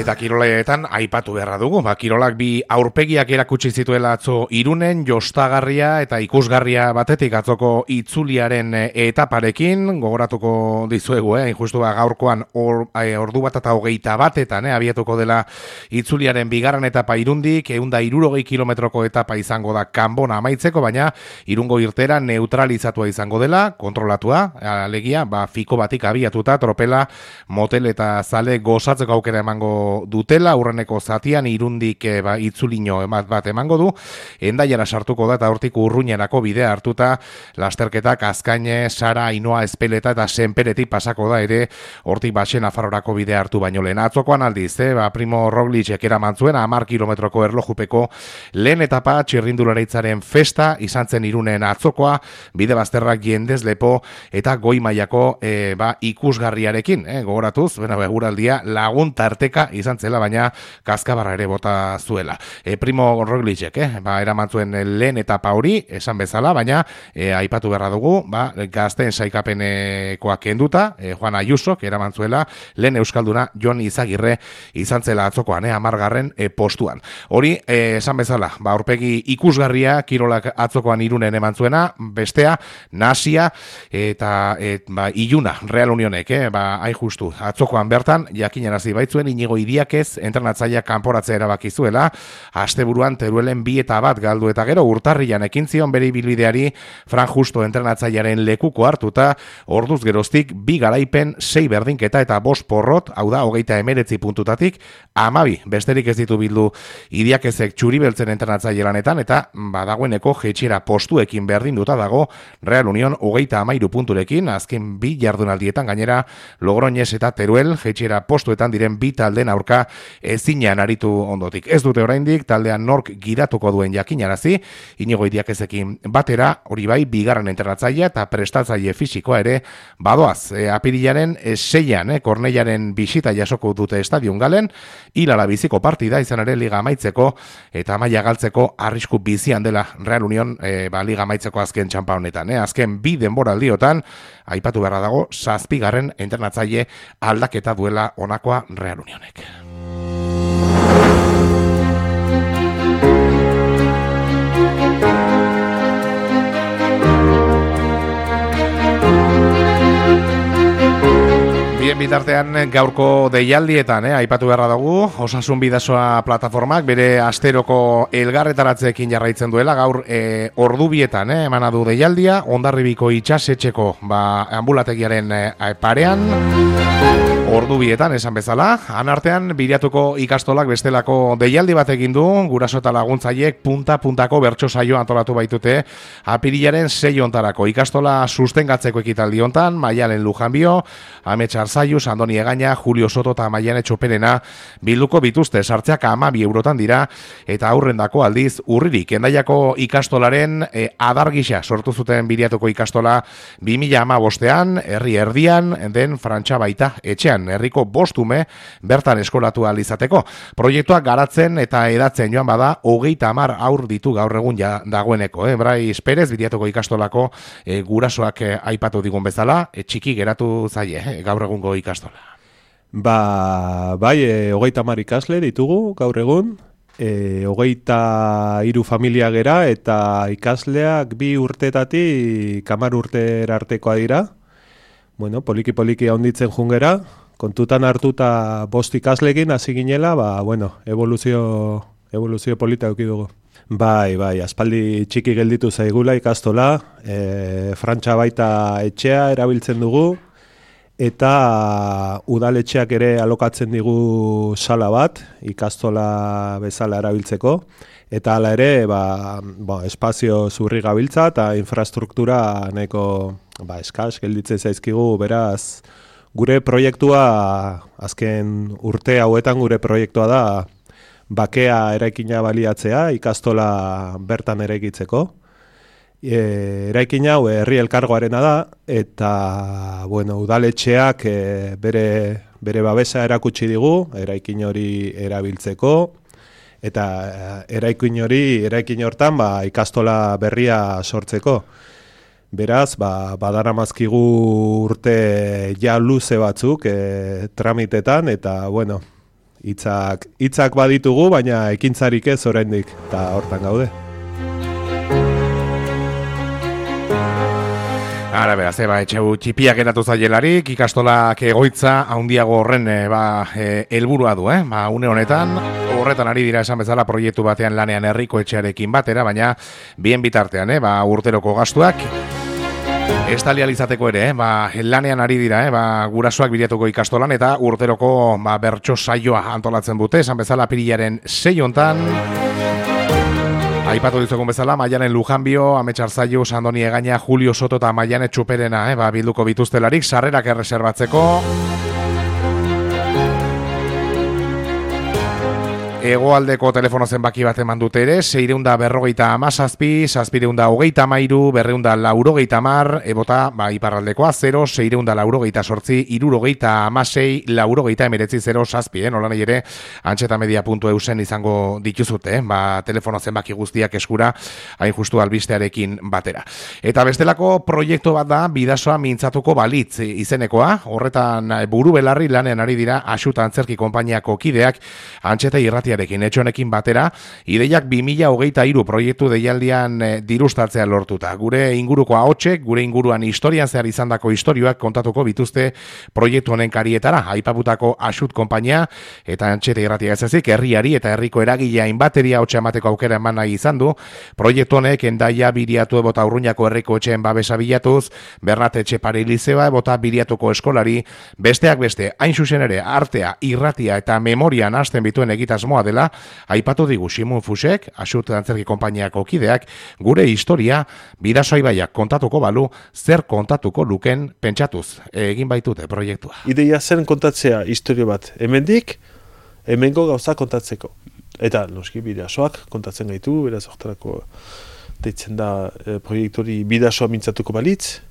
Eta kiroletan aipatu beharra dugu, kirolak bi aurpegiak erakutsi zituela atzo Irunen, jostagarria eta ikusgarria batetik atzoko itzuliaren etaparekin, gogoratuko dizuegu, injustu gaurkoan ordu bat eta 21 abiatuko dela itzuliaren bigarren etapa Irundik, 160 kilometroko etapa izango da Kanbona amaitzeko, baina Irungo irtera neutralizatua izango dela, kontrolatua, alegia, fiko batik abiatuta, tropela, motel eta zale gozatzeko aukera emango dutela, aurreneko zatian Irundik itzulino bat emango du, Hendaiara sartuko da eta hortik Urruñerako bidea hartuta lasterketak Azkaine, Sara, Ainoa, Espeleta eta Senperetik pasako da ere hortik Baxen Nafarrorako bidea hartu baino lehen. Atzokoan aldiz, Primo Roglicek eraman zuen 10 kilometroko erlojupeko lehen etapa txirrindularitzaren festa izan zen Irunen atzokoa, bide bazterrak jendez lepo eta goi mailako ikusgarriarekin, gogoratuz, eguraldia lagun tarteka izan zela, baina kaskabarra ere bota zuela. Primo Roglicek, eraman zuen lehen etapa hori, esan bezala, baina aipatu beharra dugu, gazteen saikapenekoak kenduta, Juan Ayusok eraman zuela, lehen euskalduna Jon Izagirre izan zela atzokoan, 10. postuan. Hori, esan bezala, aurpegi ikusgarria kirolak atzokoan Irunen eman zuena, bestea, Nasia eta Iluna, Real Unionek, hain justu, atzokoan bertan, jakinarazi baitzuen, Inigo Idiakez, entrenatzailea kanporatzea erabaki zuela, asteburuan Teruelen 2 eta 1 galdu eta gero urtarrian ekin zion bere ibilbideari Fran Justo entrenatzailearen lekuko hartuta, orduz geroztik 2 garaipen, 6 berdinketa eta 5 porrot, hau da, 39 puntutatik, 12 besterik ez ditu bildu Idiakezek Txuribeltzen entrenatzaile lanetan, eta badagoeneko jetxiera postuekin berdinduta dago Real Union 33 punturekin, azken 2 jardunaldietan gainera Logroñez eta Teruel jetxiera postuetan diren 2 taldeen aurka ezinean aritu ondotik. Ez dute oraindik taldean nork gidatuko duen jakinarazi, Inigo Idiakezekin batera, hori bai, bigarren entrenatzailea eta prestatzaile fisikoa ere badoaz. Apirilaren 6an, Kornellaren bisita jasoko dute estadion galen, hilala biziko partida izan ere liga amaitzeko eta maila galtzeko arrisku bizian dela Real Union liga amaitzeko azken txampa honetan. Azken 2 denboraldiotan, aipatu beharra dago, 7. entrenatzaile aldaketa duela honakoa Real Unionek. Bien bitartean gaurko deialdietan, aipatu beharra dugu, Osasun Bidasoa plataformak bere asteroko elgarretaratzeekin jarraitzen duela, gaur ordubietan emana du deialdia, Hondarribiko itxasetxeko ambulategiaren parean, ordubietan esan bezala, anartean bilatuko ikastolak bestelako deialdi bat egin du, guraso eta laguntzaiek punta-puntako bertso saio antolatu baitute, apirilaren 6 ontarako ikastola sustengatzeko ekitaldi hontan, Maialen Lujanbio, Ametsar Zaius, Andoni Egaña, Julio Soto eta Maiane Txoperena bilduko bituzte, sartzeak 12 eurotan dira, eta aurrendako aldiz Urririk, Hendaiako ikastolaren adargisa sortu zuten bilatuko ikastola 2015ean, herri erdian, den Frantxa baita etxean, herriko 5 ume bertan eskolatu ahal izateko. Proiektuak garatzen eta edatzen joan bada 30 aur ditu gaur egun dagoeneko. Brais Perez, bilatuko ikastolako gurasoak aipatu digun bezala, txiki geratu zaie gaur egungo ikastola. Bai, 30 ikasle ditugu gaur egun, 23 familia gera eta ikasleak 2 urtetatik 10 urtera artekoa dira. Bueno, poliki handitzen jungera, kontutan hartuta 5 ikaslekin hasi ginela, evoluzio polita eduki dugu. Bai, aspaldi txiki gelditu zaigula ikastola, Frantxa baita etxea erabiltzen dugu, eta udaletxeak ere alokatzen digu sala bat, ikastola bezala erabiltzeko, eta hala ere, espazio zurri gabiltza eta infrastruktura nahiko eskas gelditzen zaizkigu, beraz, gure proiektua, azken urte hauetan gure proiektua da, bakea eraikina baliatzea, ikastola bertan eraikitzeko. Eraikin hau herri elkargoarena da, eta udaletxeak bere babesa erakutsi digu, eraikin hori erabiltzeko, eta eraikin hortan ikastola berria sortzeko. Beraz, badaramazkigu urte ja luze batzuk tramitetan, eta hitzak baditugu, baina ekintzarik ez oraindik, eta hortan gaude. Ara, beraz, etxeu txipiak eratu zaielarik, ikastolak egoitza handiago horren helburua du, une honetan, horretan ari dira esan bezala proiektu batean lanean herriko etxearekin batera, baina bien bitartean, urteroko gastuak, estalializateko ere, lanean ari dira, gurasoak bilatuko ikastolan, eta urteroko bertso saioa antolatzen dute, esan bezala apirilaren 6 hontan, aipatu dizugun bezala, Maianen Lujanbio, Ametsar Zaio, Sandoni Egaña, Julio Soto eta Maiane Txuperena, bilduko bituztelarik, sarrerak erreserbatzeko. Hegoaldeko telefono zenbaki bat eman dute ere, 647, 723, 200 ebota, iparraldekoa, 0, 648, 76, 0, nola nahi ere, antxetamedia.eusen izango dituzute, telefono zenbaki guztiak eskura, hain justu albistearekin batera. Eta bestelako proiektu bat da, Bidasoa mintzatuko balitz izenekoa, horretan buru belarri lanen ari dira, Axuta Antzerki konpainiako kideak, antxeta irratiarekin, etxonekin batera, ideiak 2023 proiektu deialdian dirustatzea lortuta. Gure inguruko ahotsek, gure inguruan historian zehar izandako istorioak kontatuko bituzte proiektu honen karietara, aipaputako Axut konpainia, eta antxeta irratia ez ezik, herriari eta herriko eragilea inbateria ahotsa emateko aukera eman nahi izan du, proiektu honek Endaia Biriatu ebota Urruñako herriko etxeen babesa bilatuz, Bernat Etxepare Lizeba ebota Biriatuko eskolari, besteak beste, hain zuzen ere, artea, irratia eta memorian hasten bituen egitasmoa dela, aipatu digu Simon Fusek, Axut Antzerki konpainiako kideak, gure historia Bidasoa ibaiak kontatuko balu, zer kontatuko luken pentsatuz egin baitute proiektua. Ideia zen kontatzea historia bat hemendik, hemengo gauza kontatzeko. Eta noski Bidasoak kontatzen gaitu, beraz hortarako deitzen da proiektori Bidasoa mintzatuko balitz,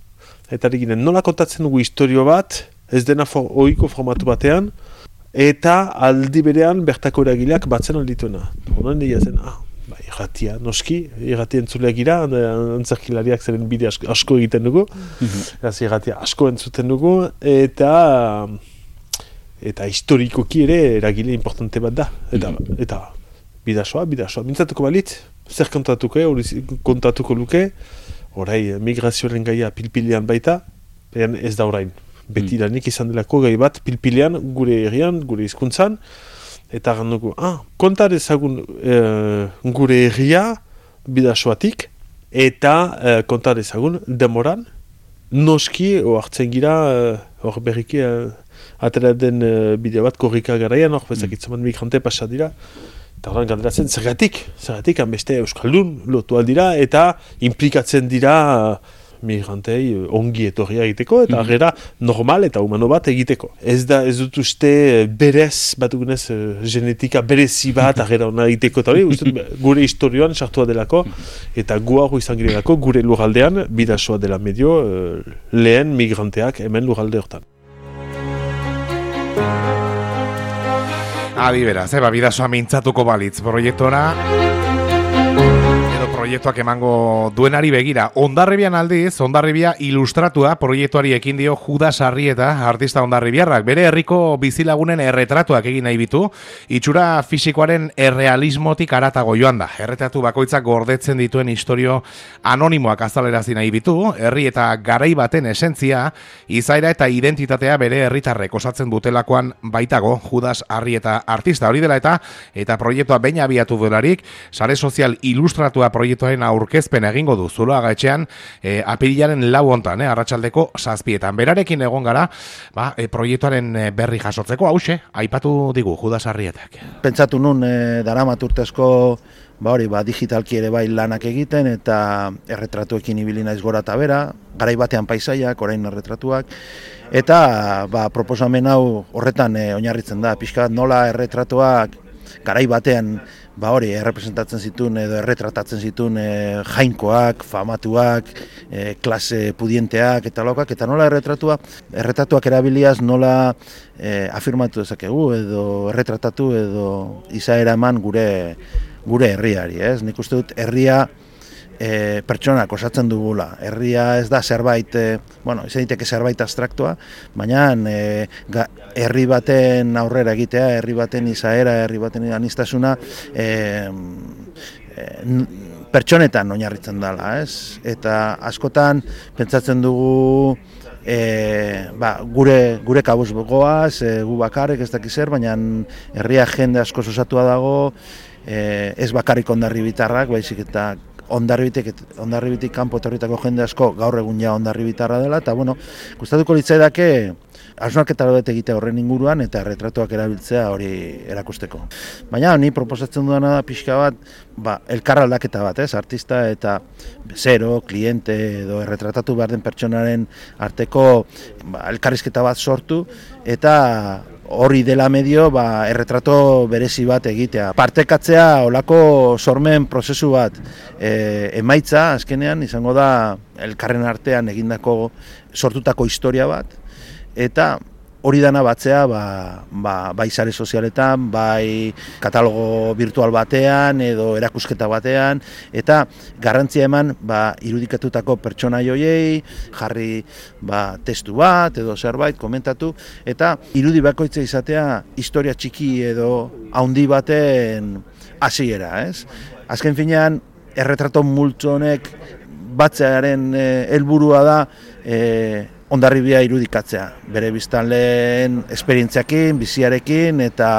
eta eginen nola kontatzen dugu historia bat, ez dena ohiko formatu batean, eta aldi berean bertako eragileak batzen aldituena. Honan dira zen, irratia, noski, irratia entzuleak gira, antzerkilariak zeren bide asko egiten dugu, irratia asko entzuten dugu, eta historikoki ere eragile importante bat da. Eta Bidasoa, mintzatuko balitz, zer kontatuko luke, orai migrazioaren gaia pilpilean baita, ez da orain. Beti lanik izan delako gai bat pilpilean, gure herrian, gure hizkuntzan, eta gandugu, kontar ezagun gure herria Bidasoatik, eta kontar ezagun demoran, noski hartzen gira, hor berriki atera den bideo bat korrika garaian, hor bezakitzaman migrante pasa dira, eta horren galderatzen, zergatik hanbeste euskaldun lotu aldira, eta implikatzen dira migrantei ongi etorria egiteko, eta gera normal eta humano bat egiteko. Ez dut uste berez, batugunez, genetika berezi bat agera hona egiteko, eta hori, gure historioan sartua delako, eta guago izan girelako, gure lurraldean, Bidasoa dela medio, lehen migranteak hemen lurralde hortan. Adi beraz, Bidasoa mintzatuko balitz proiektora, proiektuak emango duenari begira. Hondarribian aldiz, Hondarribia ilustratua proiektuari ekin dio Judas Arrieta, artista hondarribiarrak. Bere herriko bizilagunen erretratuak egin nahi bitu, itxura fisikoaren errealismotik aratago joan da. Erretratu bakoitzak gordetzen dituen historio anonimoak azalerazi nahi bitu, herri eta garai baten esentzia, izaera eta identitatea bere herritarrek osatzen dutelakoan baitago Judas Arrieta artista. Hori dela eta proiektua behin abiatu delarik, sare sozial ilustratua proiektuaren aurkezpen egingo du Zuloaga etxean apirilaren 4 hontan, arratsaldeko 7:00. Berarekin egon gara, proiektuaren berri jasotzeko, hauxe, aipatu digu Judas Arrietak. Pentsatu nun daramat urtezko digitalki ere bai lanak egiten, eta erretratuekin ibili naiz gora eta bera, garai batean paisaiak, orain erretratuak, eta proposamen hau horretan oinarritzen da, pixka bat nola erretratuak garai batean errepresentatzen zituen edo erretratatzen zituen jainkoak, famatuak, klase pudienteak eta lokak, eta nola erretratuak erabiliaz nola afirmatu dezakegu edo erretratatu edo izaera eman gure herriari, ez? Nik uste dut herria pertsonak osatzen dugula. Herria ez da zerbait, izan diteke zerbait abstraktua, baina herri baten aurrera egitea, herri baten izaera, herri baten aniztasuna, pertsonetan oinarritzen dela, ez? Eta askotan pentsatzen dugu gure kabuz goaz, gu bakarrik ez dakiz zer, baina herria jende asko osatua dago, ez bakarrik Hondarribitarrak, baizik eta Hondarribitik kanpo etorritako jende asko gaur egun ja Hondarribitarra dela, eta gustatuko litzaidake hausnarketa bat egitea horren inguruan eta erretratuak erabiltzea hori erakusteko. Baina ni proposatzen dudana da pixka bat, elkarraldaketa bat, artista eta bezero, kliente edo erretratatu behar den pertsonaren arteko elkarrizketa bat sortu eta hori dela medio erretrato berezi bat egitea. Partekatzea olako sormen prozesu bat emaitza azkenean izango da elkarren artean egindako sortutako historia bat, eta hori dana batzea bai sare sozialetan, bai katalogo virtual batean edo erakusketa batean, eta garrantzia eman irudikatutako pertsonai horiei, jarri testu bat edo zerbait komentatu, eta irudi bakoitza izatea historia txiki edo handi baten hasiera, ez? Azken finean, erretrato multzo honek batzearen helburua da Hondarribia irudikatzea, bere biztanleen esperientziakin, biziarekin eta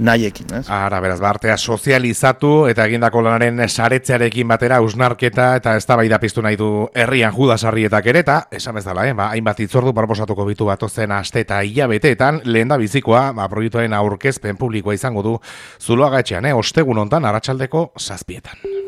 nahiekin. Ara, beraz, artea sozializatu eta egindako lanaren saretzearekin batera hausnarketa eta eztabaida piztu nahi du herrian Judasarrietak ere, eta esan bezala, hainbat hitzordu proposatuko bitu batozen aste eta hilabeteetan, lehen da bizikoa, proiektuaren aurkezpen publikoa izango du Zuloaga etxean, ostegun hontan arratsaldeko 7:00.